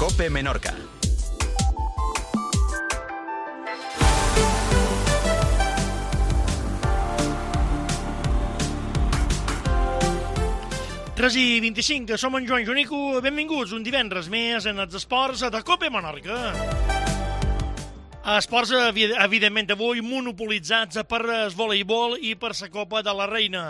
COPE Menorca. Tres i 25, som en Joan Jonico, benvinguts un divendres més en els esports de COPE Menorca. Esports, evidentment, avui monopolitzats per el voleibol i per la Copa de la Reina.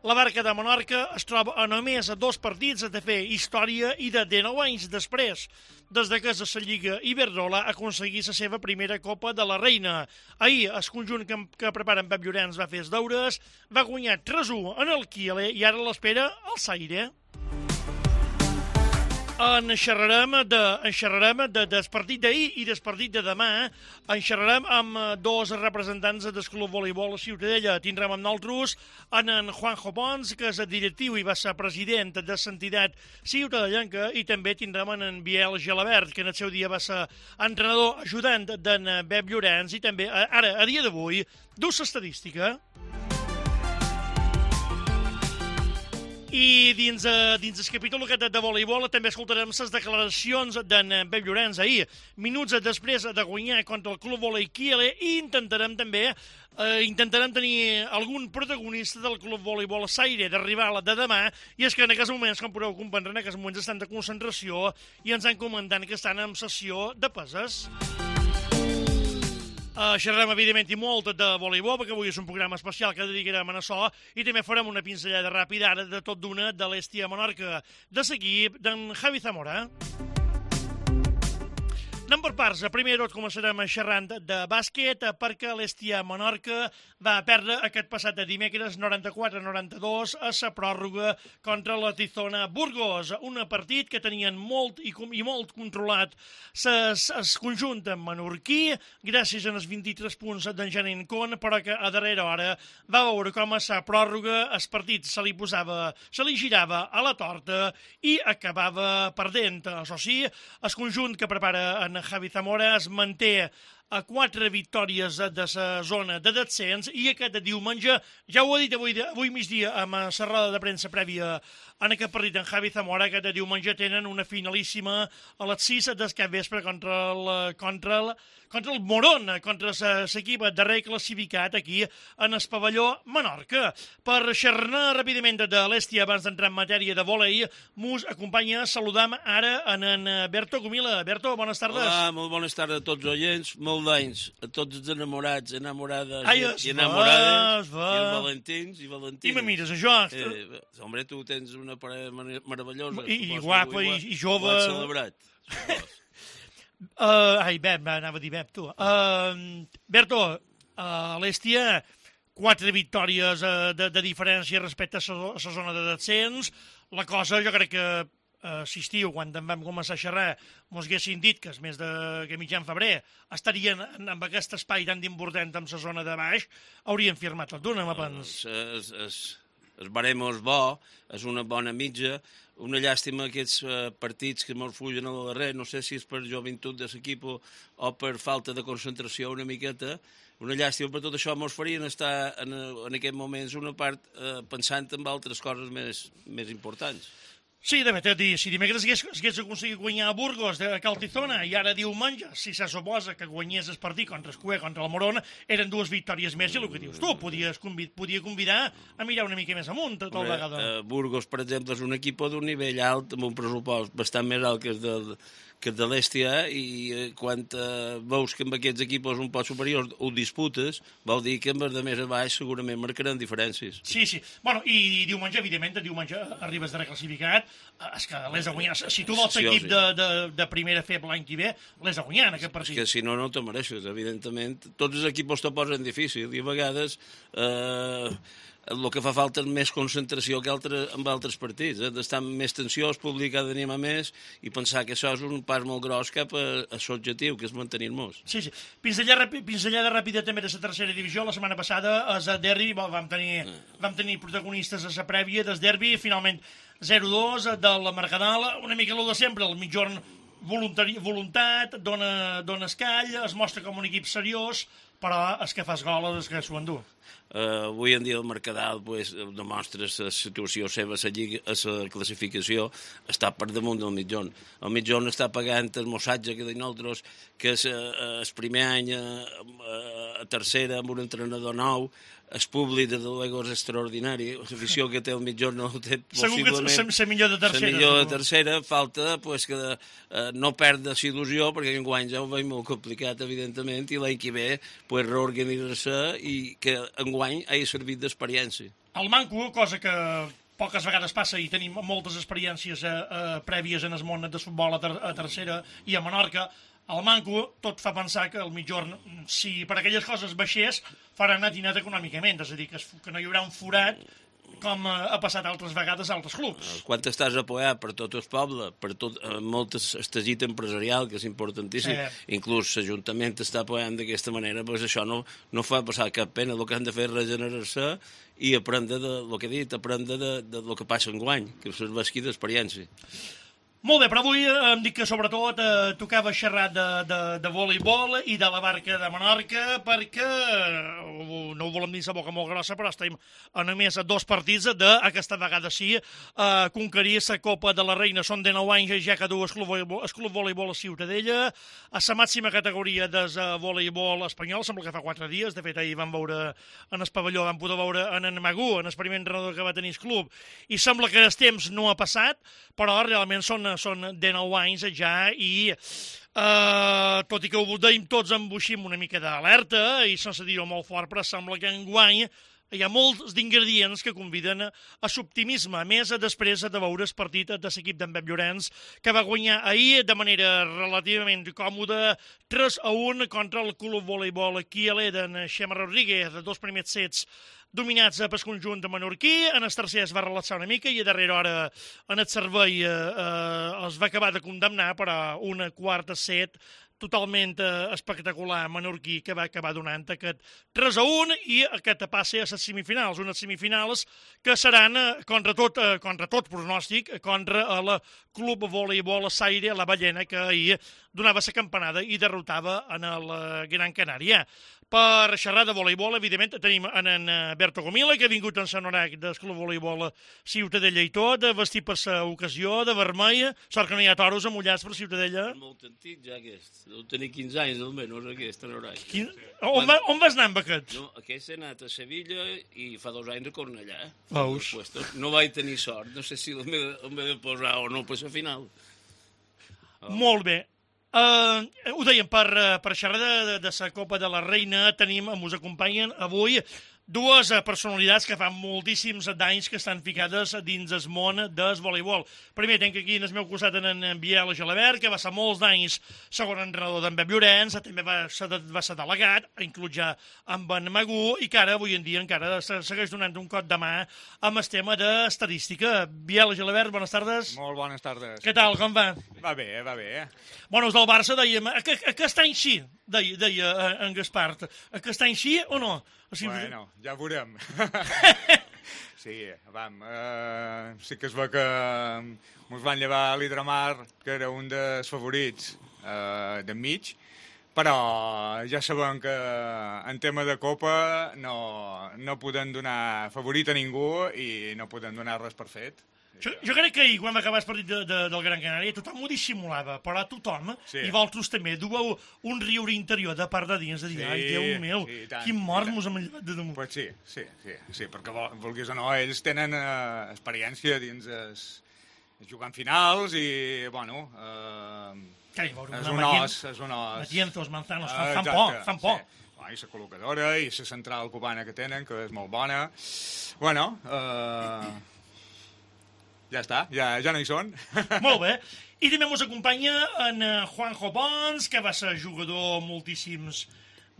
La Barca de Menorca es troba a només a 2 partits de fer història i de 19 anys després, des que la Lliga Iberdrola aconseguís la seva primera Copa de la Reina. Ahir, el conjunt que prepara en Pep Llorenç va fer els deures, va guanyar 3-1 en el Kiele i ara l'espera el Saire. En xerrarem del partit d'ahir i del partit de demà. En xerrarem amb dos representants del Club Voleibol Ciutadella. Tindrem amb nosaltres en Juanjo Pons, que és el directiu i va ser president de l'entitat ciutadellenca, i també tindrem en Biel Gelabert, que en el seu dia va ser entrenador ajudant d'en Pep Llorenç i també, ara, a dia d'avui, dus estadística. I dins el capítol aquest de voleibol també escoltarem les declaracions d'en Pep Llorenç ahir, minuts després de guanyar contra el Club Volei Kiele, i intentarem tenir algun protagonista del Club Voleibol Saire d'arribar a la de demà, i és que en aquests moments, com podeu comprendre, en aquests moments estan de concentració i ens han comentat que estan en sessió de peses. Xerrarem, evidentment, i molt de voleibol, perquè avui és un programa especial que dedicarem a açò, i també farem una pinzellada ràpida ara de tot d'una de l'Hèstia Menorca, de l'equip d'en Javi Zamora. Anem per parts. Primer tot començarem xerrant de bàsquet, perquè l'Hèstia Menorca va perdre aquest passat dimecres 94-92 a la pròrroga contra la Tizona Burgos, un partit que tenien molt controlat el conjunt menorquí, gràcies als 23 punts d'en Janine Con, però que a darrera hora va veure com a la pròrroga el partit se li girava a la torta i acabava perdent. Això sí, el conjunt que prepara en Javi Zamora es manté a 4 victòries de la zona de descens, i aquest diumenge, ja ho ha dit avui migdia amb la roda de premsa prèvia en aquest partit en Javi Zamora, aquest diumenge tenen una finalíssima a les 6 del capvespre contra el Morón, contra l'equip darrer classificat aquí en el pavelló Menorca. Per xerrar ràpidament de l'Hèstia, abans d'entrar en matèria de vòlei, mos acompanya, saludam ara en Berto Gomila. Berto, bones tardes. Hola, molt bones tardes a tots els oients, molt d'anys a tots els enamorats, enamorades i enamorades, i els valentins i valentines. I me mires, això? Home, tu tens una parella meravellosa. I guapa, i jove. Ho has celebrat. Anava a dir Bep, tu. Berto, l'Hèstia, 4 victòries de diferència respecte a la zona de descens. La cosa, jo crec que estiu, quan en vam començar a xerrar, mos haguessin dit que més que mitjan febrer estarien en aquest espai tan important amb la zona de baix, haurien firmat tot d'una, me pens. El barem és bo, és una bona mitja. Una llàstima aquests partits que mos fugen a la darrere, no sé si és per joventut de l'equip o per falta de concentració una miqueta. Una llàstima, per tot això mos farien estar en aquest moments una part pensant en altres coses més importants. Sí, de veritat, si dimecres hagués aconseguit guanyar a Burgos de Caltizona i ara diumenge, si se suposa que guanyés el partit contra el Cué, contra el Morón, eren 2 victòries més, i el que dius tu, podia convidar a mirar una mica més amunt tot el vegada. Burgos, per exemple, és un equip d'un nivell alt, amb un pressupost bastant més alt que el de l'Hèstia, i quan veus que amb aquests equips un poc superiors ho disputes, vol dir que amb els de més a baix segurament marcaran diferències. Sí. Bueno, i diumenge, evidentment, diumenge arribes de reclassificat, és que l'has de guanyar. Si tu vols l'equip de primera fer l'any que ve, l'has de guanyar en aquest partit. És que si no te mereixes, evidentment. Tots els equips te posen difícil, i a vegades el que fa falta és més concentració que en altres partits, d'estar amb més tensió, el públic ha d'animar més i pensar que això és un pas molt gros cap a l'objectiu, que és mantenir-nos. Sí. Pinzellada ràpida també de la tercera divisió. La setmana passada a derbi vam tenir protagonistes a la prèvia del derbi, finalment 0-2 del Mercadal, una mica el de sempre, el mitjorn voluntat, dona escall, es mostra com un equip seriós, però el que fas gol és el que s'ho endú. Avui en dia el Mercadal demostra la situació seva, la classificació està per damunt del mitjon. El mitjon està pagant el mossatge que de nosaltres, que és el primer any a tercera amb un entrenador nou, el públic de luego és extraordinari, l'afició que té el mitjon no té possiblement... Segur que la millor de tercera. La millor de tercera, falta que no perda la il·lusió, perquè enguany ja ho veig molt complicat, evidentment, i l'any que ve reorganitzar-se i que enguany hagi servit d'experiència. El manco, cosa que poques vegades passa i tenim moltes experiències prèvies en el món de futbol a tercera i a Menorca, el manco tot fa pensar que el mitjorn, si per aquelles coses baixés, farà net i net econòmicament, és a dir, que no hi haurà un forat com ha passat altres vegades a altres clubs. Quan estàs apoyat per tot el poble, per tot molt estesit empresarial, que és importantíssim, inclús l'Ajuntament està apoyant d'aquesta manera, doncs això no fa passar cap pena. El que han de fer és regenerar-se i aprendre del que he dit, aprendre del que passa enguany, que serveixi d'experiència. Molt bé, però avui em dic que sobretot tocava xerrar de voleibol i de la barca de Menorca perquè, no ho volem dir la boca molt grossa, però estem a només 2 partits d'aquesta vegada sí, conquerir la Copa de la Reina. Són de 9 anys ja que du el Club Voleibol a Ciutadella, a la màxima categoria del voleibol espanyol, sembla que fa 4 dies, de fet ahir vam veure en el pavelló, vam poder veure en Magú, en el primer entrenador que va tenir el club, i sembla que el temps no ha passat, però realment són de 9 anys ja i tot i que ho dèiem tots embuixim una mica d'alerta i sense dir-ho molt fort, però sembla que enguany hi ha molts d'ingredients que conviden a l'optimisme, a més després de veure el partit de l'equip d'en Pep Llorenç, que va guanyar ahir de manera relativament còmoda 3-1 contra el Club Voleibol Quialer d'en Xema Rodríguez, de 2 primers sets dominats pel conjunt de menorquí. En el tercer es va relaxar una mica i a darrera hora en el servei els va acabar de condemnar per a un quart set totalment espectacular menorquí que va acabar donant aquest 3-1 i aquest passe a les semifinals, unes semifinals que seran contra tot pronòstic contra el Club Voleibol Saire, la Ballena, que ahir donava la campanada i derrotava en el Gran Canària. Per xerrar de voleibol, evidentment, tenim en Berto Gomila, que ha vingut en Sanorac del Club Voleibol Ciutadella i tot, vestit per l'ocasió, de vermell. Sort que no hi ha toros amullats per Ciutadella. Molt antic ja aquest. Deu tenir 15 anys almenys aquest Sanorac. On vas anar amb aquest? No, aquest he anat a Sevilla i fa 2 anys a Cornellà. Veus? No vaig tenir sort. No sé si m'he de posar o no per la final. Molt bé. Ho dèiem, per xerrar de la Copa de la Reina ens acompanyen avui 2 personalitats que fan moltíssims d'anys que estan ficades dins el món del voleibol. Primer tenc aquí en el meu costat en Biel Gelabert, que va ser molts d'anys segon entrenador d'en Pep Llorenç, també va ser delegat, inclús ja amb en Magú, i que ara, avui en dia, encara segueix donant un cop de mà amb el tema d'estadística. Biel Gelabert, bones tardes. Molt bones tardes. Què tal, com va? Va bé, va bé. Bueno, els del Barça dèiem, aquest any sí, deia en Gaspart. Aquest any sí o no? O sigui, bueno, ja ho veurem. Sí, sí que es veu que ens van llevar l'Hidramar, que era un dels favorits d'enmig, però ja sabem que en tema de Copa no podem donar favorit a ningú i no podem donar res per fet. Jo crec que ahir, quan va acabar el partit del Gran Canària, tothom ho dissimulava, però tothom, i vosaltres també, dueu un riure interior de part de dins, de dir, ai, Déu meu, quin mort mos hem llevat de damunt. Pues sí, perquè vulguis o no, ells tenen experiència dins jugant finals i, bueno, és un os. Matienzos, Manzanos, fan por. I la col·locadora i la central cubana que tenen, que és molt bona. Bueno, ja està, ja no hi són. Molt bé. I també ens acompanya en Juanjo Pons, que va ser jugador moltíssims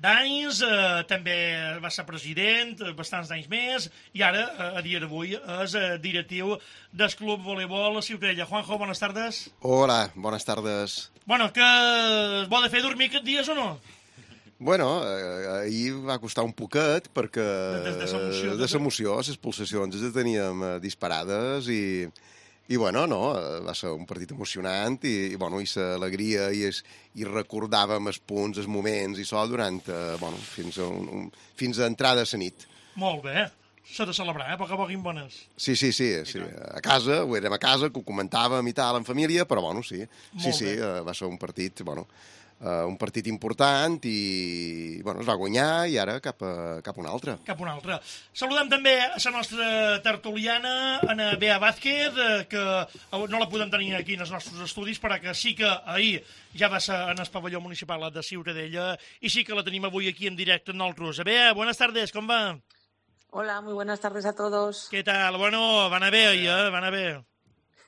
d'anys, també va ser president, bastants d'anys més, i ara, a dia d'avui, és directiu del Club Voleibol Ciutadella. Juanjo, bones tardes. Hola, bones tardes. Bueno, que es vol fer dormir aquests dies o no? Bueno, ahir va costar un poquet perquè de l'emoció, les pulsacions les teníem disparades i I, bueno, no, va ser un partit emocionant i bueno, i l'alegria i recordàvem els punts, els moments i això durant, bueno, fins a entrada a la nit. Molt bé. S'ha de celebrar, a poc a poc bones. Sí. A casa, ho érem a casa, que ho comentàvem i tal, en família, però, bueno, sí, va ser un partit, bueno, un partit important i, bueno, es va guanyar i ara cap a un altre. Cap a un altre. Saludem també a la nostra tertuliana, Ana Bea Vázquez, que no la podem tenir aquí en els nostres estudis, però que sí que ahir ja va ser en el pavelló municipal de Ciutadella i sí que la tenim avui aquí en directe en nosaltres. Bea, buenas tardes, com va? Hola, muy buenas tardes a todos. ¿Qué tal? Bueno, van a ver ahí, van a ver.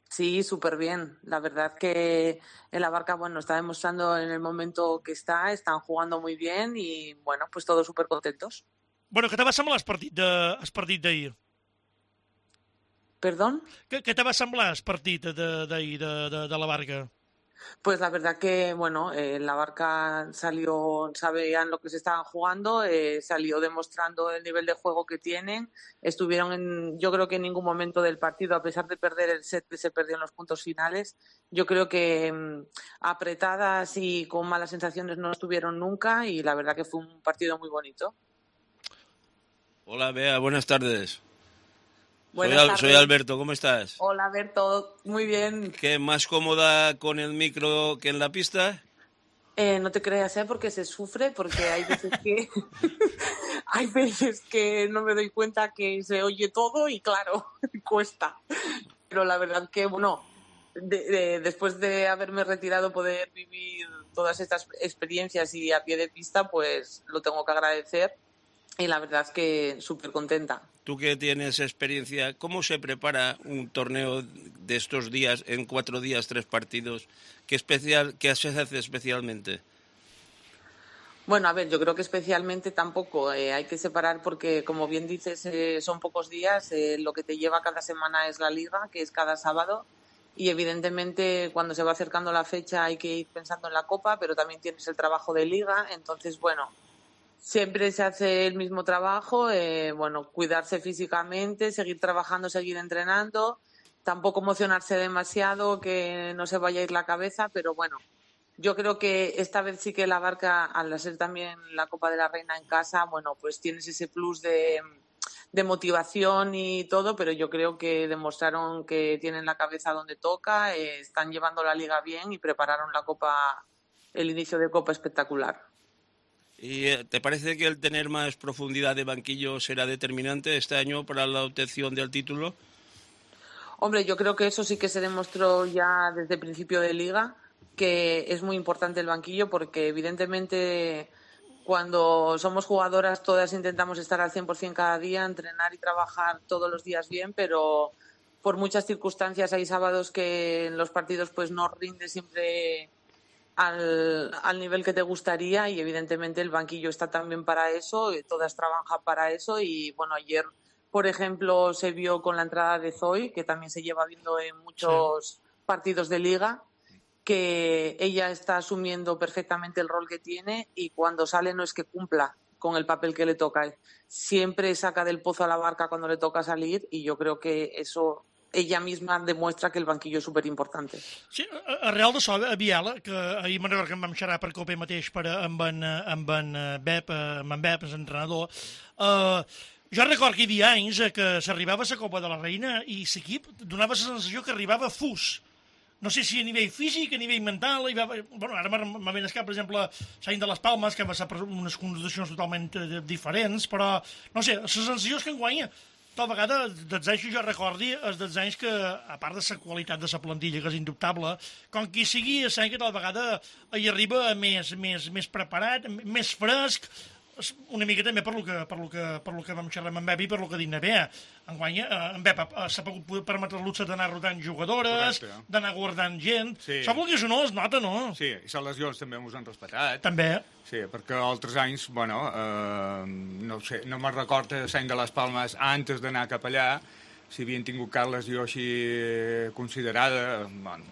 Sí, súper bien. La verdad que el Abarca, bueno, está demostrando en el momento que están jugando muy bien y, bueno, pues todos súper contentos. Bueno, què te va semblar el partit d'ahir? ¿Perdón? Què te va semblar el partit d'ahir de la Barca? Pues la verdad que, bueno, la Barca salió, sabían lo que se estaban jugando, salió demostrando el nivel de juego que tienen. Estuvieron, yo creo que en ningún momento del partido, a pesar de perder el set que se perdió en los puntos finales, yo creo que apretadas y con malas sensaciones no estuvieron nunca y la verdad que fue un partido muy bonito. Hola, Bea, buenas tardes. Soy Alberto, ¿cómo estás? Hola, Alberto, muy bien. ¿Qué, más cómoda con el micro que en la pista? No te creas, porque se sufre, porque hay veces que hay veces que no me doy cuenta que se oye todo y claro, cuesta. Pero la verdad que, bueno, después de haberme retirado poder vivir todas estas experiencias y a pie de pista, pues lo tengo que agradecer y la verdad que súper contenta. Tú que tienes experiencia, ¿cómo se prepara un torneo de estos días, en 4 días, 3 partidos? ¿Qué se hace especialmente? Bueno, a ver, yo creo que especialmente tampoco hay que separar porque, como bien dices, son pocos días. Lo que te lleva cada semana es la liga, que es cada sábado. Y evidentemente cuando se va acercando la fecha hay que ir pensando en la Copa, pero también tienes el trabajo de liga. Entonces, bueno, siempre se hace el mismo trabajo, bueno, cuidarse físicamente, seguir trabajando, seguir entrenando, tampoco emocionarse demasiado, que no se vaya a ir la cabeza, pero bueno, yo creo que esta vez sí que la Barca, al ser también la Copa de la Reina en casa, bueno, pues tienes ese plus de motivación y todo, pero yo creo que demostraron que tienen la cabeza donde toca, están llevando la liga bien y prepararon la Copa, el inicio de Copa espectacular. ¿Y te parece que el tener más profundidad de banquillo será determinante este año para la obtención del título? Hombre, yo creo que eso sí que se demostró ya desde el principio de liga, que es muy importante el banquillo porque evidentemente cuando somos jugadoras todas intentamos estar al 100% cada día, entrenar y trabajar todos los días bien, pero por muchas circunstancias hay sábados que en los partidos pues no rinde siempre al nivel que te gustaría y evidentemente el banquillo está también para eso, todas trabajan para eso y bueno, ayer por ejemplo se vio con la entrada de Zoe, que también se lleva viendo en muchos partidos de liga, que ella está asumiendo perfectamente el rol que tiene y cuando sale no es que cumpla con el papel que le toca, siempre saca del pozo a la Barca cuando le toca salir y yo creo que eso ella misma demuestra que el banquillo és superimportante. Sí, arrel d'això, a Biela, que ahir me'n recordo que en vam xerrar per Copa mateix amb en Bep, el entrenador, jo recordo que hi havia anys que s'arribava a la Copa de la Reina i l'equip donava la sensació que arribava fus. No sé si a nivell físic, a nivell mental, bueno, ara me ven al cap, per exemple, l'any de les Palmes, que va ser per unes condicions totalment diferents, però, no sé, la sensació és que enguany tal vegada, dels anys que jo recordi, és dels anys que, a part de la qualitat de la plantilla, que és indubtable, com qui sigui, és que tal vegada hi arriba més preparat, més fresc, una mica també per lo que vam xerrar amb en Bep i per lo que dic na Bea. Enguany, en Bep s'ha pogut permetre el luxe d'anar rotant jugadores, d'anar guardant gent. Això vol dir que no es nota, no? Sí, i les lesions també ens han respetat. També. Sí, perquè altres anys, bueno, no sé, no me'n recordo l'any de les Palmes, antes d'anar cap allà, si havien tingut cap lesió així considerada, bueno,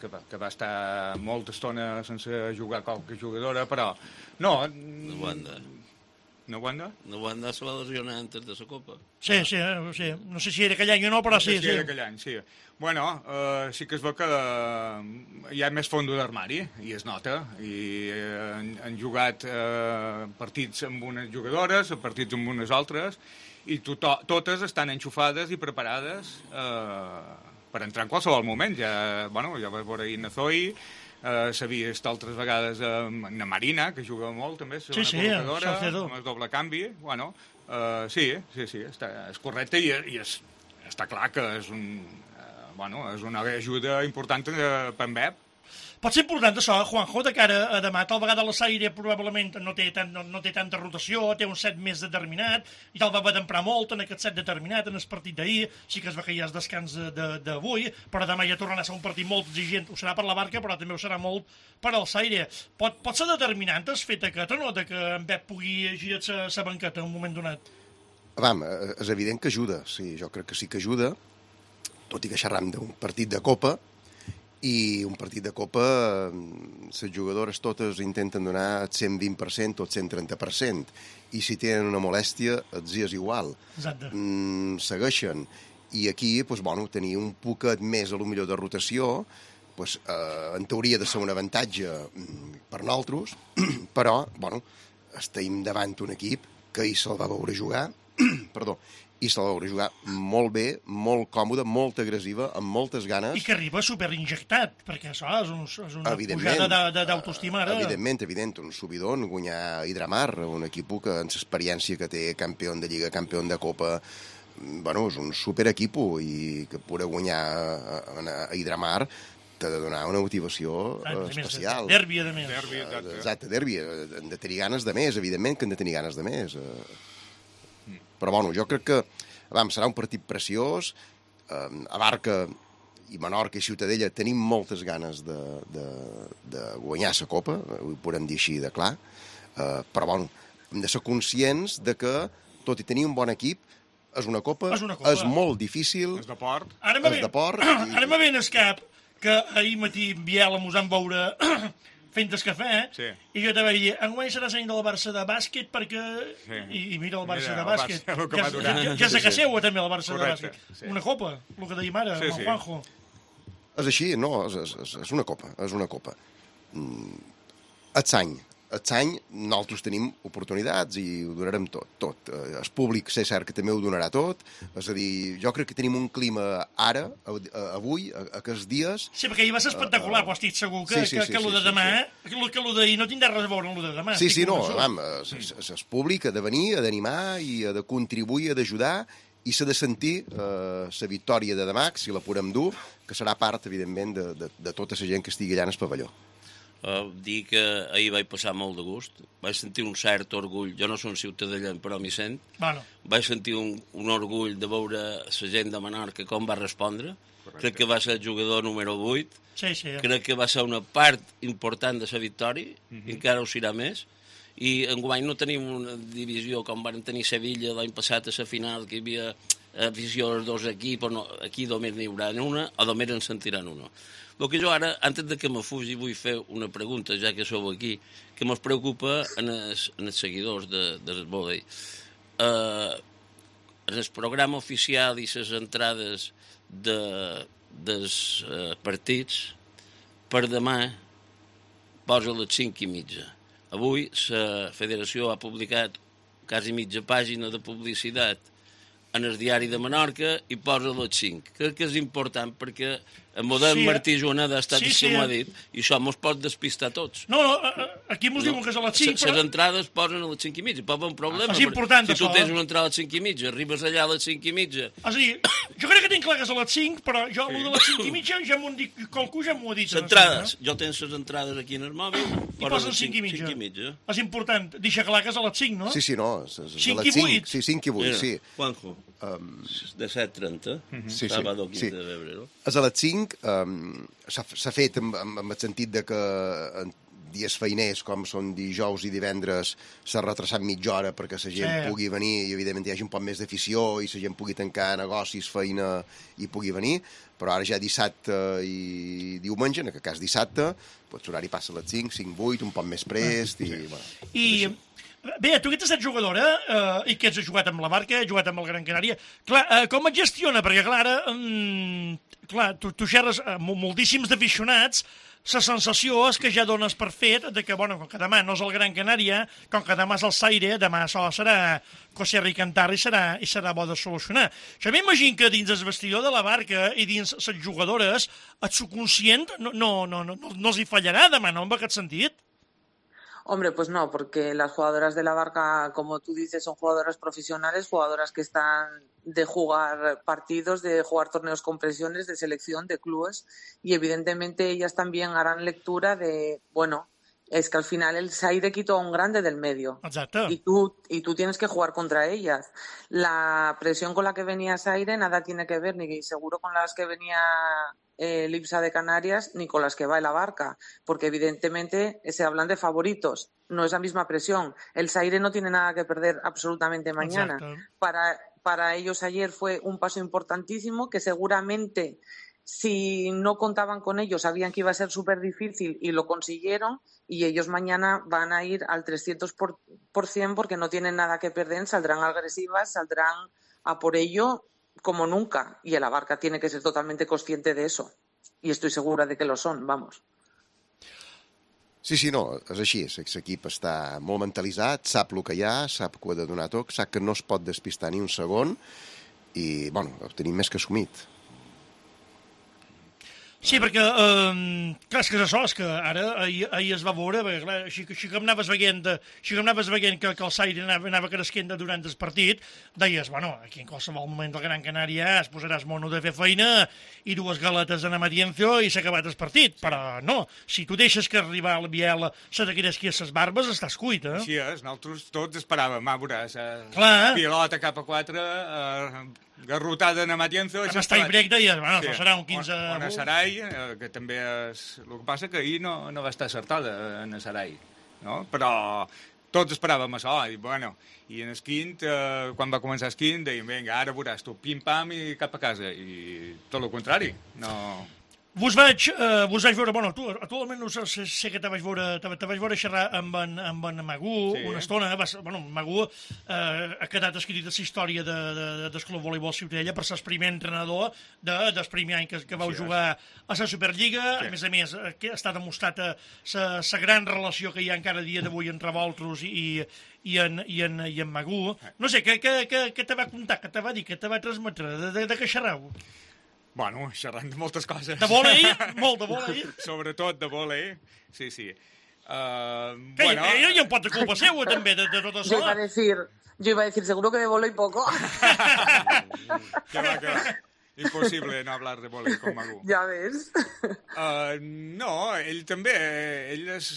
que va estar molta estona sense jugar qualque jugadora, però no... No Wanda? No Wanda se va lesionar antes de la Copa. Sí. No sé si era aquell any o no, però sí. Sí, era aquell any, sí. Bueno, sí que es veu que hi ha més fondo d'armari, i es nota, i han jugat partits amb unes jugadores, partits amb unes altres, i totes estan enxufades i preparades per entrar en qualsevol moment. Ja vas veure ahir Nazoi, s'ha vist altres vegades na Marina, que juga molt també, és una col·locadora, amb el doble canvi. Bueno, sí, és correcte i està clar que és una ajuda important per en Pep. Pot ser important això, Juanjo, de cara a demà. Tal vegada la Saire probablement no té tanta rotació, té un set més determinat, i tal va haver d'emprar molt en aquest set determinat, en el partit d'ahir. Sí que es va que hi ha el descans d'avui, però demà ja tornarà a ser un partit molt exigent. Ho serà per la Barca, però també ho serà molt per al Saire. Pot ser determinant el fet aquest o no, que en Pep pugui girar la banqueta en un moment donat? És evident que ajuda, sí, jo crec que sí que ajuda, tot i que xerram d'un partit de Copa, i un partit de Copa, les jugadores totes intenten donar el 120% o el 130%, i si tenen una molèstia, els és igual. Exacte. Segueixen. I aquí, tenir un poquet més, a lo millor, de rotació, en teoria de ser un avantatge per nosaltres, però, estem davant un equip que ahir se'l va veure jugar, i se la veure jugar molt bé, molt còmode, molt agressiva, amb moltes ganes. I que arriba superinjectat, perquè això és una pujada d'autoestima. Evident, un subidon, guanyar Hidramar, un equip que en l'experiència que té, campió de Lliga, campió de Copa, és un superequip, i que poder guanyar a Hidramar t'ha de donar una motivació especial. Derbi, a més. Exacte, derbi. Han de tenir ganes de més, evidentment que han de tenir ganes de més. Però, jo crec que serà un partit preciós. A Barca i Menorca i Ciutadella tenim moltes ganes de guanyar la Copa, ho podem dir així de clar, però, hem de ser conscients de que, tot i tenir un bon equip, és una Copa, és molt difícil, és de port. Ara me ve en el cap que ahir matí Biel mos van veure fent el cafè, i jo te vaig dir, enguany serà l'any del Barça de bàsquet, perquè... I mira el Barça de bàsquet. Ja és a casa seva, també, el Barça de bàsquet. Una copa, el que dèiem ara, amb el Juanjo. És així, no, és una copa, és una copa. Aquest any nosaltres tenim oportunitats i ho donarem tot. El públic, és cert que també ho donarà tot. És a dir, jo crec que tenim un clima ara, avui, aquests dies... Sí, perquè ahir va ser espectacular, però estic segur que el de demà, que el d'ahir no tindrà res a veure amb el de demà. Sí, el públic ha de venir, ha d'animar i ha de contribuir, ha d'ajudar, i s'ha de sentir la victòria de demà, si la podem dur, que serà part, evidentment, de tota la gent que estigui allà en el pavelló. Dir que ahir vaig passar molt de gust, vaig sentir un cert orgull, jo no soc ciutadellenc però m'hi sent, vaig sentir un orgull de veure la gent de Menorca com va respondre. Crec que va ser el jugador número 8, crec que va ser una part important de la victòria, i encara ho serà més, i enguany no tenim una divisió com van tenir Sevilla l'any passat a la final, que hi havia afició als dos equips, aquí només n'hi haurà una, o només en sentiran una. El que jo ara, antes de que me fugi, vull fer una pregunta, ja que sou aquí, que mos preocupa en els seguidors del vòlei. En el programa oficial i les entrades dels partits, per demà posa les 5:30. Avui la federació ha publicat quasi mitja pàgina de publicitat en el diari de Menorca i posa les 5. Crec que és important perquè el model Martí Joaneda ha estat com ha dit, i això mos pot despistar tots. No, aquí mos diuen que és a les 5, però... Les entrades posen a les 5:30, pot haver un problema. És important, si tu tens una entrada a les 5:30, arribes allà a les 5:30... És a dir, jo crec que tinc clar que és a les 5, però jo de les 5:30 ja m'ho han dit, qualcú ja m'ho ha dit. Les entrades, jo tens les entrades aquí en el mòbil, i posen 5:30. És important, deixa clar que és a les 5, no? Sí, no, és a les 5:08. Sí, 5:08, sí. Juanjo, de 7:30, sábado 15 de febrero. És a les 5, s'ha fet amb el sentit de que en dies feiners, com són dijous i divendres, s'ha retrasat mitja hora perquè la gent pugui venir i, evidentment, hi hagi un poc més d'afició i la gent pugui tancar negocis, feina i pugui venir, però ara ja dissabte i diumenge, en aquest cas dissabte, l'horari passa a les 5, 5:08, un poc més prest i... I Bé, tu que ets estat jugadora i que has jugat amb la Barca, has jugat amb el Gran Canària, clar, com et gestiona? Perquè, clar, tu xerres amb moltíssims d'aficionats, la sensació és que ja dones per fet de que, bueno, com que demà no és el Gran Canària, com que demà és el Zaire, demà això serà coserra i cantar i serà bo de solucionar. Jo m'imagino que dins el vestidor de la Barca i dins les jugadores, el subconscient no els hi fallarà demà, no, en aquest sentit? Hombre, pues no, porque las jugadoras de la Barca, como tú dices, son jugadoras profesionales, jugadoras que están de jugar partidos, de jugar torneos con presiones, de selección, de clubes, y evidentemente ellas también harán lectura de, bueno, es que al final el Zaire quitó a un grande del medio. Exacto. Y tú tienes que jugar contra ellas. La presión con la que venía Zaire nada tiene que ver, ni seguro con las que venía el IPSA de Canarias, ni con las que va la Barca, porque evidentemente se hablan de favoritos. No es la misma presión. El Zaire no tiene nada que perder absolutamente mañana. Para ellos ayer fue un paso importantísimo que seguramente, si no contaban con ellos, sabían que iba a ser súper difícil y lo consiguieron, y ellos mañana van a ir al 300% porque no tienen nada que perder, saldrán agresivas, saldrán a por ello como nunca, y la Barca tiene que ser totalmente consciente de eso, y estoy segura de que lo son, vamos. Sí, no, és així, l'equip està molt mentalitzat, sap el que hi ha, sap que ho ha de donar tot, sap que no es pot despistar ni un segon, i, bueno, ho tenim més que assumit. Sí, perquè, clar, és que és això, és que ara ahir es va veure, perquè, clar, així que anaves veient que el Zaire anava cresquent durant el partit, deies, bueno, aquí en qualsevol moment del Gran Canària es posaràs mono de fer feina i dues galetes en Amadienzo i s'ha acabat el partit, però no, si tu deixes que arribar al Biel se te cresqui a les barbes, estàs cuit, eh? Així és, nosaltres tots esperàvem, veuràs, pilota cap a 4, garrotada en Amatienzo... Amb el tie break deies, bueno, sí. Serà un 15... O en Sarai, que també és... El que passa que ahir no va estar acertada en Sarai, no? Però tots esperàvem això, i bueno, i en el quint, quan va començar el quint, dèiem, vinga, ara veuràs tu, pim-pam i cap a casa, i tot el contrari, no... Vos vaig veure, bueno, tu almenys sé que te vaig veure xerrar amb en Magú sí. Una estona, bueno, Magú ha quedat escrit la història del Club Voleibol Ciutadella per ser el primer entrenador del primer any que vau jugar a la Superliga, sí. A més, està demostrat la gran relació que hi ha encara a dia d'avui entre vosaltres i en Magú. No sé, què te va contar, què te va dir, què te va transmetre, de què xerrau? Bueno, xerrant de moltes coses. De vòlei? Molt de vòlei? Sobretot de vòlei, sí. Bueno... Ella hi ha un pot de culpa seva, també, de tot això. Yo iba a decir, seguro que de vòlei poco. Que va. Imposible no hablar de vòlei con Magú. Ja ves. No, ell també, ell és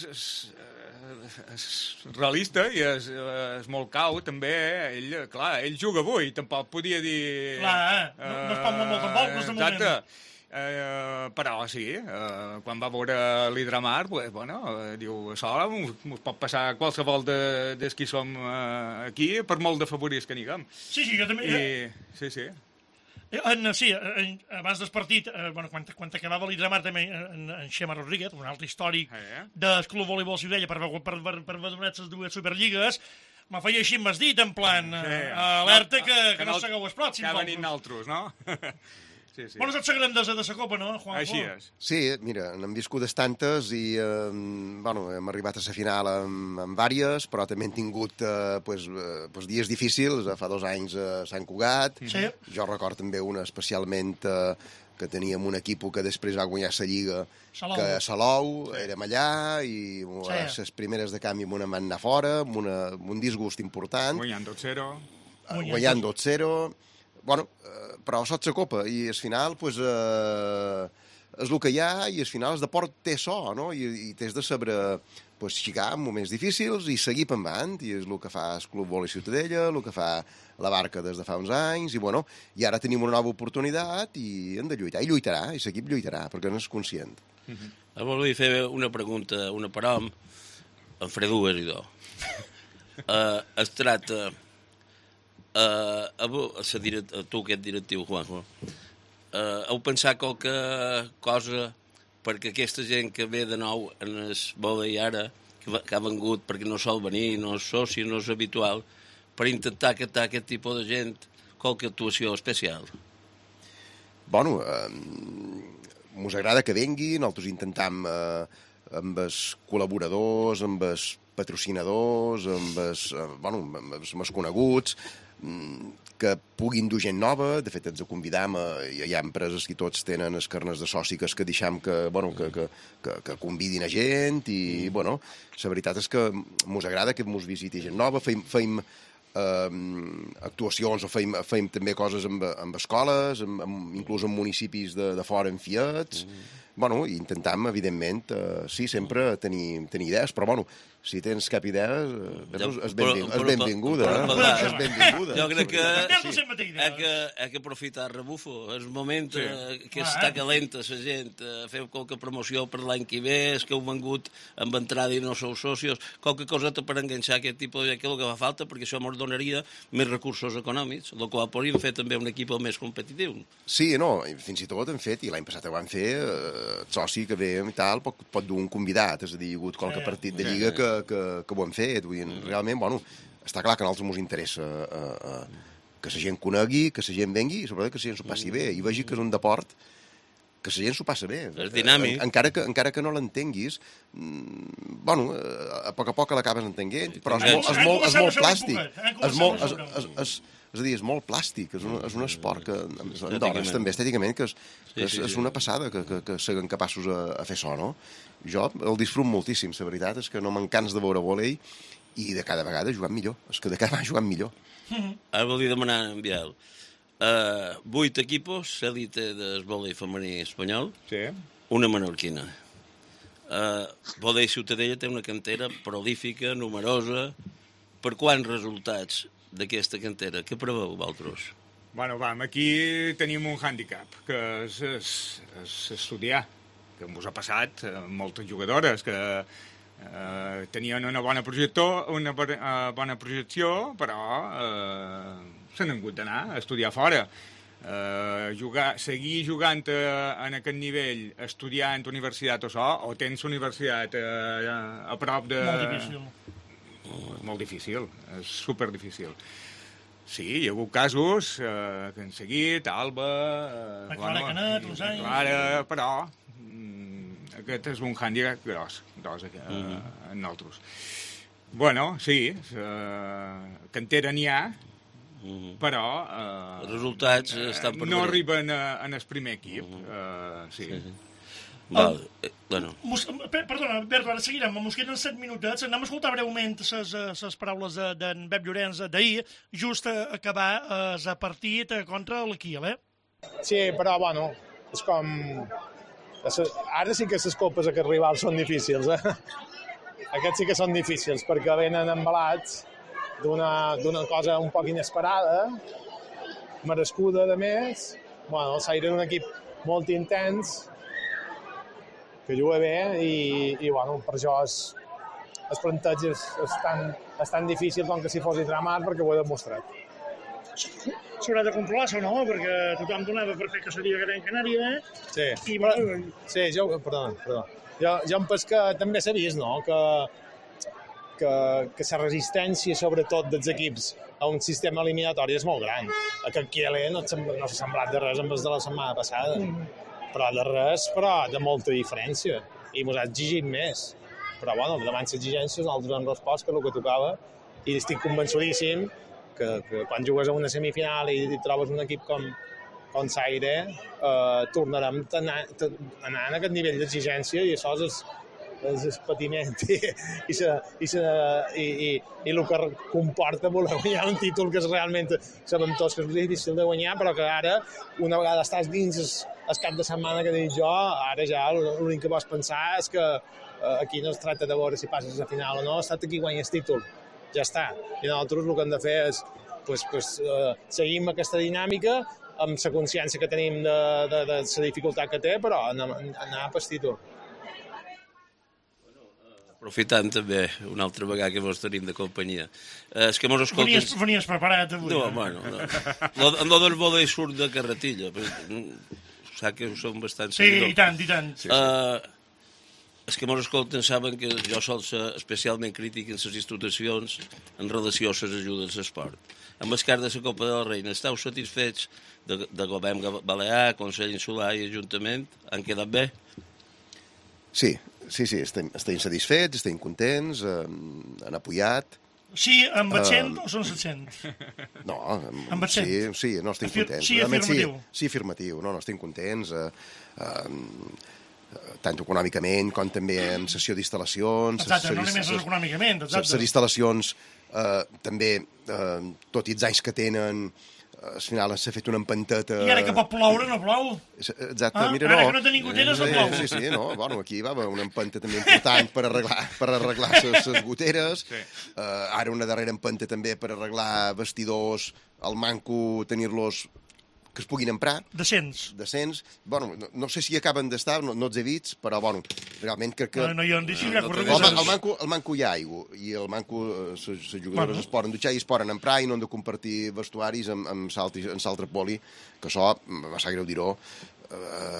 realista i és molt cau, també. Ell juga avui, tampoc podia dir... Clar, no es pot molt tampoc, de moment. Exacte. Però sí, quan va veure l'Hidramar, bueno, diu, això ens pot passar qualsevol dels qui som aquí, per molt de favorits que n'higuem. Sí, jo també... Sí. Sí, abans del partit, quan acabava l'Hidramar també en Xema Rodríguez, un altre històric del Club Voleibol Ciutadella per haver donat les dues Superligues, me feia així amb el dit, en plan, alerta que no segueu els pròxims. Que ha venit naltros, no? Sí. Bueno, saps la grandesa de la Copa, no, Juanjo? Així és. Sí, mira, n'hem viscudes tantes i, hem arribat a la final amb vàries, però també hem tingut dies difícils. Fa 2 anys a Sant Cugat. Sí. Jo recordo també una especialment que teníem un equip que després va guanyar la Lliga, que a Salou, érem allà, i les primeres de canvi m'ho van anar fora, amb un disgust important. Guanyant 2-0. Guanyant 2-0. Bueno, però sots la Copa, i al final, és el que hi ha, i al final el deport té so, no? I t'has de saber xicar en moments difícils i seguir per endavant, i és el que fa el Club Voleibol Ciutadella, el que fa la Barca des de fa uns anys, i ara tenim una nova oportunitat i hem de lluitar, i lluitarà, i l'equip lluitarà, perquè no és conscient. Volia fer una pregunta, una per hom, en faré dues i dos. Es tracta... tu que ets directiu, Juanjo, heu pensat qualque cosa perquè aquesta gent que ve de nou en el vòlei ara, que ha vengut perquè no sol venir, no és soci, no és habitual, per intentar captar aquest tipus de gent, qualque actuació especial? Bueno, mos agrada que venguin, nosaltres intentam amb els col·laboradors, amb els patrocinadors, amb els coneguts, que puguin dur gent nova. De fet, ens convidam, hi ha empreses que tots tenen els carnets de soci que deixam que convidin a gent i, bueno, la veritat és que mos agrada que mos visiti gent nova, feim actuacions o feim també coses amb escoles, inclús en municipis de fora en fiats. Bueno, i intentam, evidentment, sí, sempre tenir idees, però, bueno, si tens cap idea, és benvinguda. És benvinguda. Jo crec que ha que aprofitar rebufo. És un moment que està calenta la gent. Feu qualque promoció per l'any que ve, és que heu vengut amb entrada i no sou socios, qualque coseta per enganxar aquest tipus de que el que fa falta, perquè això ens donaria més recursos econòmics, el qual podríem fer també un equip més competitiu. Sí, no, fins i tot hem fet, i l'any passat ho vam fer, el soci que ve i tal pot dur un convidat, és a dir, hi ha hagut qualque partit de lliga que ho hem fet. Vull dir, realment, bueno, està clar que a nosaltres ens interessa que la gent conegui, que la gent vengui i sobretot que la gent s'ho passi bé i vegi que és un deport que la gent s'ho passa bé. És dinàmic. Encara que no l'entenguis, bueno, a poc l'acabes entenent, però és molt plàstic. És a dir, és molt plàstic, és un esport que en dones també estèticament que és una passada que siguin capaços a fer això, no? Jo el disfrut moltíssim, la veritat és que no m'encans de veure vòlei i de cada vegada jugant millor, és que de cada vegada jugant millor. Ara volia demanar en Biel 8 equipos, l'élite del vòlei femení espanyol, una menorquina. Vòlei Ciutadella té una cantera prolífica, numerosa. Per quants resultats d'aquesta cantera? Què preveu, vosaltres? Bueno, aquí tenim un hàndicap, que és estudiar, que ens ha passat moltes jugadores que tenien una bona projecció, però s'han hagut d'anar a estudiar fora. Seguir jugant en aquest nivell, estudiant a universitat o tens universitat a prop de... Molt difícil. Molt difícil, és superdifícil. Sí, hi ha hagut casos que han seguit, Alba... Clara Canet, Clara, però aquest és un hàndicap gros en nosaltres. Bueno, sí, cantera n'hi ha, però els resultats estan per no arriben en el primer equip. Sí. Perdona, Berto, ara seguirem. Ens queden 7 minutets. Anem a escoltar breument les paraules d'en Pep Llorenç d'ahir, just a acabar el partit contra el Kiel, Sí, però, bueno, és com... Ara sí que les copes aquests rivals són difícils, Aquests sí que són difícils, perquè venen embalats d'una cosa un poc inesperada, merescuda, de més. Bueno, el Saire és un equip molt intens, que juga bé i bueno, per això el planteig és tan difícil com que si fos Idramar, perquè ho he demostrat. S'haurà de controlar això, no? Perquè tothom donava per fer que seria Gran Canària, Sí. I, bueno... Sí, perdona. Jo em penso que també s'ha vist, no?, que la resistència, sobretot, dels equips a un sistema eliminatori és molt gran. Aquest Kiel no s'ha semblat de res amb els de la setmana passada. Però de res, però de molta diferència. I ens ha exigit més. Però, bueno, davant les exigències nosaltres hem respost que és el que tocava i estic convençudíssim que quan jugues a una semifinal i trobes un equip com Saire, tornarem a anar en aquest nivell d'exigència i això és el patiment i el que comporta voler guanyar un títol que és realment, sabem tots que és difícil de guanyar, però que ara, una vegada estàs dins el cap de setmana que dic jo, ara ja l'únic que vols pensar és que aquí no es tracta de veure si passes a la final o no, es tracta que guanyes títol, ja està. I nosaltres el que hem de fer és seguim aquesta dinàmica amb la consciència que tenim de la dificultat que té, però anar per títol. Aprofitant també una altra vegada que vos tenim de companyia. És que mos escolten... Venies preparat avui. No, bueno, no. Lo del vòlei surt de carretilla. Sap que som bastant Sí, i tant, i tant. Els que mos escolten saben que jo sol ser especialment crític en les institucions en relació a les ajudes a l'esport. Amb el cas de la Copa de la Reina, esteu satisfets de govern balear, Consell Insular i Ajuntament? Han quedat bé? Sí, estem satisfets, estem contents, han apoyat. Sí, amb accent o sense accent? No, Amb accent? sí, no, estem contents. Sí, afirmatiu. Sí, afirmatiu, no, estem contents, tant econòmicament com també en sessió d'instal·lacions. Exacte, no només econòmicament, exacte. Les instal·lacions també, tot i els anys que tenen, al final s'ha fet una empanteta... I ara que pot ploure, no plou. Exacte, mira, no. Ara que no tenim goteres, no plou. Sí, no, bueno, aquí va haver una empenta també important per arreglar les goteres. Sí. Ara una darrera empenta també per arreglar vestidors, al manco tenir-los que es puguin emprar. Decents. Bueno, no sé si acaben d'estar, no els he vist, però, bueno, realment crec que... No hi ha deixin ja Al manco hi ha aigua, i al manco les jugadores es poden dutxar i es poden emprar i no han de compartir vestuaris amb l'altre poli, que això, va ser greu dir-ho,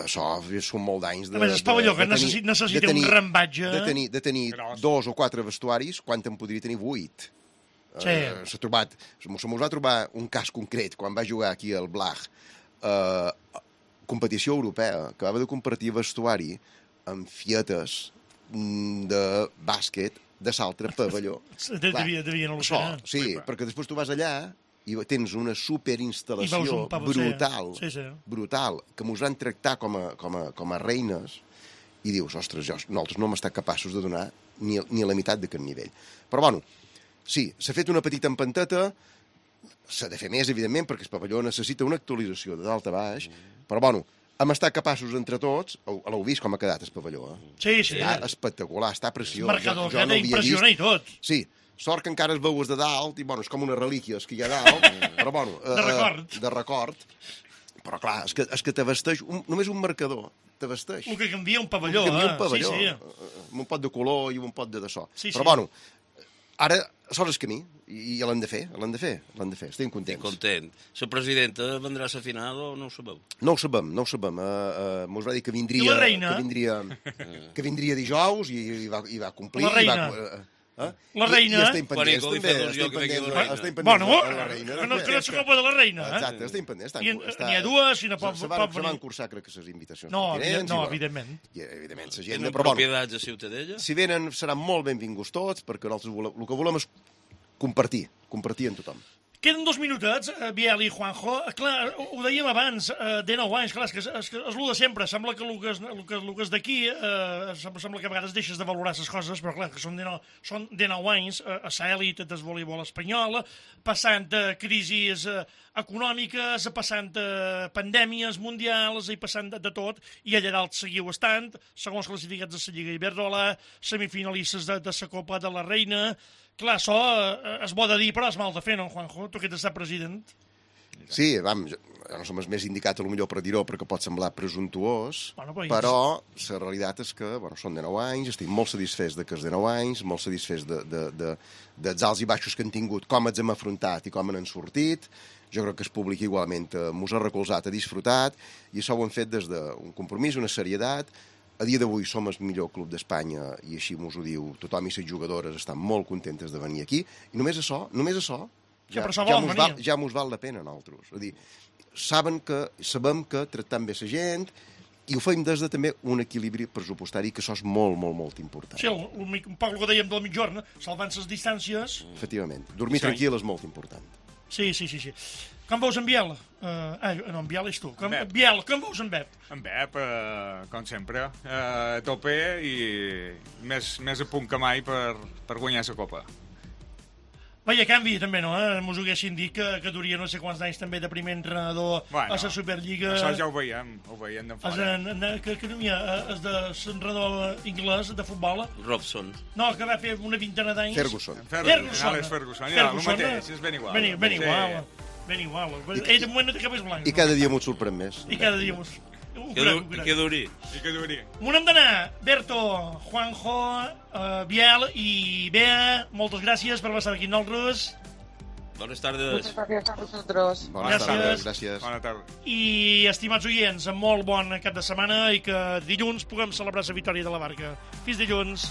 això són molt d'anys de... A més, el pavelló que necessita un rambatge... De tenir 2 o 4 vestuaris, quan en podria tenir 8. Sí. Se mos va trobar un cas concret quan va jugar aquí al Blag, competició europea, que va haver de compartir vestuari amb fietes de bàsquet de l'altre pavelló. Devien al·lucinar. Sí, perquè després tu vas allà i tens una superinstal·lació brutal, brutal, que mos van tractar com a reines, i dius, ostres, nosaltres no hem estat capaços de donar ni la meitat d'aquest nivell. Però, bueno, sí, s'ha fet una petita empanteta, s'ha de fer més, evidentment, perquè el pavelló necessita una actualització de dalt a baix, però, bueno, hem estat capaços entre tots, l'heu vist com ha quedat el pavelló, Sí. Està espectacular, està preciós. Marcador, que impressiona i tot. Sí, sort que encara es veues de dalt, i, bueno, és com unes relíquies que hi ha dalt, però, bueno... De record. Però, clar, és que t'abasteix només un marcador, t'abasteix. El que canvia un pavelló, un pavelló, sí. Amb un pot de color i un pot de so. Sí, però, bueno, ara sols és camí, i l'hem de fer, estem contents. Content. La presidenta vendrà a la final o no ho sabeu? No ho sabem. Mos va dir que vindria... I la reina? Que vindria dijous i va complir. La reina? La reina... I estem pendents, també. Bueno, que no és la copa de la reina. Exacte, estem pendents. N'hi ha dues, i no pot venir. Se van cursar, crec que les invitacions. No, evidentment. I, evidentment, la gent... Tenen propietats a Ciutadella? Si venen, seran molt benvinguts tots, perquè nosaltres el que volem és compartir amb tothom. Queden 2 minutets, Biel i Juanjo. Clar, ho dèiem abans, de 9 anys, clar, és el de sempre. Sembla que el que és d'aquí, sembla que a vegades deixes de valorar les coses, però clar, que són de 9 anys a l'elit del voleibol espanyol, passant crisis econòmiques, passant pandèmies mundials i passant de tot, i allà dalt seguiu estant, segons classificats de la Lliga Iberdrola, semifinalistes de la Copa de la Reina. Clar, això és bo de dir, però és mal de fer, no, Juanjo? Tu que ets estat president. Sí, jo no som els més indicats, potser per dir-ho, perquè pot semblar presumptuós, però la realitat és que són de 9 anys, estic molt satisfets que és de 9 anys, molt satisfets dels alts i baixos que han tingut, com els hem afrontat i com han sortit. Jo crec que el públic igualment mos ha recolzat, ha disfrutat, i això ho hem fet des d'un compromís, una serietat. A dia d'avui som el millor club d'Espanya, i així mos ho diu tothom, i les jugadores estan molt contentes de venir aquí, i només això ja mos val la pena a nosaltres. És a dir, sabem que tractem bé la gent, i ho fem des de també un equilibri pressupostari, que això és molt, molt, molt important. Sí, un poc el que dèiem de la mitjorna, salvant les distàncies... Efectivament. Dormir tranquil és molt important. Sí. Com veus en Biel? No, en Biel és tu. Biel, com veus en Bep? En Bep, com sempre, a tope i més a punt que mai per guanyar la Copa. Vaja, canvi també, no? Mos ho haguessin dit que duria no sé quants anys també de primer entrenador a la Superliga. Això ja ho veiem d'en fora. Que no hi ha, és de l'entrenador anglès de futbol. Robson. No, que va fer una vintena d'anys. Ferguson. Alex Ferguson, ja, el mateix, és ben igual. Ben igual. Ell de moment no té cabells blancs. I cada dia m'ho sorprèn més. I cada dia mos... Que duri. M'ho hem d'anar. Berto, Juanjo, Biel i Bea, moltes gràcies per estar aquí amb nosaltres. Bones tardes. Muchas gracias a vosotros. Bones Gràcies. tardes, gràcies. Bona tarda. I, estimats oients, molt bon cap de setmana i que dilluns puguem celebrar la victòria de la Barca. Fins dilluns.